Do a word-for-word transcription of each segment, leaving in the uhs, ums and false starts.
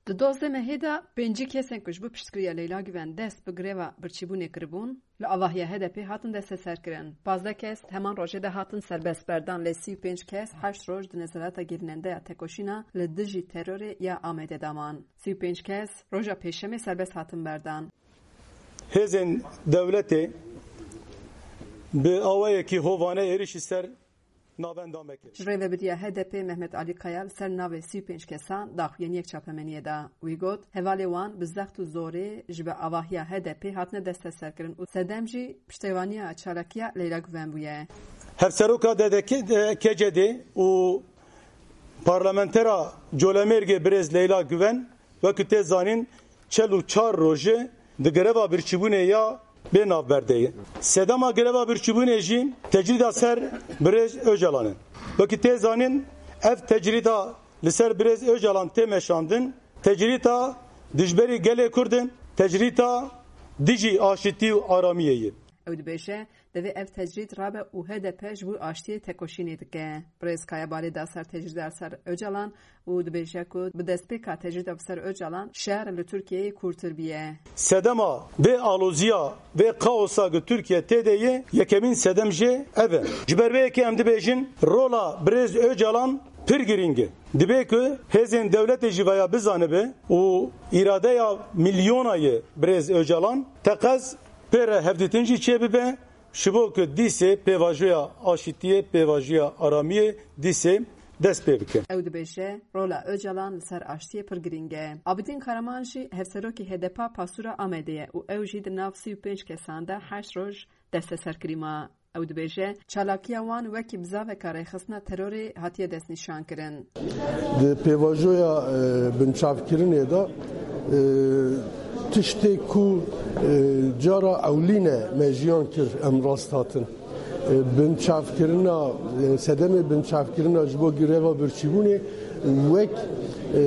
Di dozdeh mehê de pêncî kesên ku ji bo piştgiriya Leyla Guven dest bi greva birçîbûnê kiribûn, li avahiya H D P hatin desteserkirin. Pazdeh kes heman rojê de hatin serbest berdan, lê sî û pênc kes heşt roj di nezareta girînendeya tekoşîna li dijî terorê ya Amedê de man. Sî û pênc kes roja Pêşemê serbest hatin berdan. Hêzên dewletê bi awayekî hovane êrişî ser navenda me kir. Ji rêvebidiya H D P Mehmet Alî Kaya li ser navê sî û pênc kesan daxuyaniyek çapemeniyê da. Wî got, hevalê wan bi zext û zorê ji bi avahiya H D P hatine desteserkirin û sedem jî piştevaniya çalakiya Leyla Guven bûye. Hevseroka D D K, K C D û parlamentera Colemêrgê birêz Leyla Guven, wekî tê zanîn, çel û çar rojê di greva birçîbûnê ya bê navber de ye. Sedema greva birçîbûnê jî tecrîda ser birêz Ocalan e. Wekî tê zanîn, ev tecrîda li ser birêz Ocalan tê meşandin, tecrîda dijberî gelê Kurd in, tecrîda dijî aşitî û aramiyê ye. Ew dibêje, divê ev tecrîd rabe û H D P ji bo aştiyê tekoşînê dike. Birêz Kaya balê da ser tecrîda ser Ocalan û dibêje ku bi destpêka tecrîda bi ser Ocalan şer li Tirkiyeyê kûrtir bûye. Sedema vê aloziya, vê kaosa ku Tirkiye tê de ye, yekemîn sedem jê ev e. Ji ber vê yekê em dibêjin, rola birêz Ocalan pir girîng e. Dibe ku hêzên dewletê jî veya bizanibe û îradeya milyona ye birêz Ocalan teqez pê re hevdîtin jî çêbibe, ji bo ku dîsê pêvajoya aşitiyê, pêvajoya aramiyê dîsê dest pê bike. Ew dibêje, rola Ocalan li ser aştiyê pir girîng e. Abidîn Karaman jî hevserokê H D P a pasûra Amedê ye û ew jî di nav sî û pênc kesan de heşt roj desteserkirî ma. Ew dibêje, çalakiya wan wekî bizaveka rêxistina terorê hatiye destnîşankirin. Di pêvajoya, e, binçavkirinê de, e, tiştê ku, e, cara ewlîne me jiyan kir, em rast hatin. E, binçavkirina, e, sedemê binçavkirina ji bo greva birçîbûnê wek, e,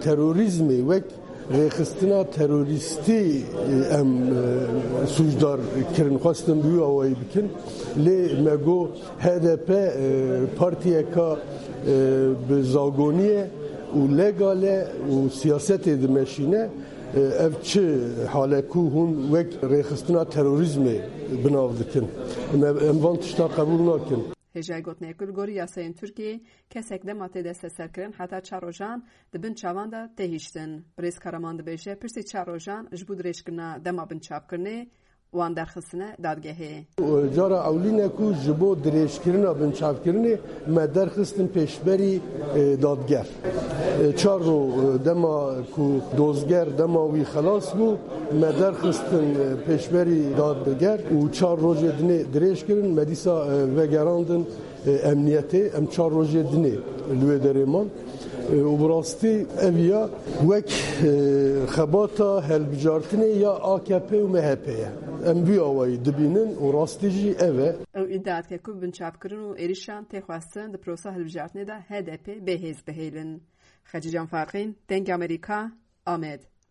terorîzmê, wek rêxistina terorîstî, e, em, e, sûcdar kirin, xwestin bi wî awayî bikin. Lê me got H D P, e, partiyeka, e, bi zagonî ye û legal e û siyasetê dimeşîne. E, ev çi hal e ku hûn wek rêxistina terorîzmê bi nav dikin? Me, em van tişta qebûl nakin. Hêjayî gotinê ku li gorî yasayên Tirkiyê kesek dema tê desteserkirin heta çar rojan di bin çavan de tê hiştin. Birêz Karaman dibêje, piştî çar rojan ji bo dirêjkirina dema binçavkirinê wan derxistine dadgehê. Cara ewlîne ku ji bo dirêjkirina binçavkirinê me derxistin pêşberî, e, dadger. E, çar ro, e, dema ku dozger dema wî xelas bû, me derxistin, e, pêşberî dadger û çar rojê dinê dirêj kirin, me dîsa, e, vegerandin, e, emniyetê. Em çar rojê dinê li wê derê man. E, û bi rastî ev ya wek, e, xebata helbijartinê ya A K P û M H P ye. Em vî awayî dibînin û rastî jî ev e. Ew îdia dike ku binçavkirin û êrişan tê xwestin di prosa hilbijartinê de H D P bê hêz bihêlin. Xecîcan Farqîn, Dengê Amerîka, Amed.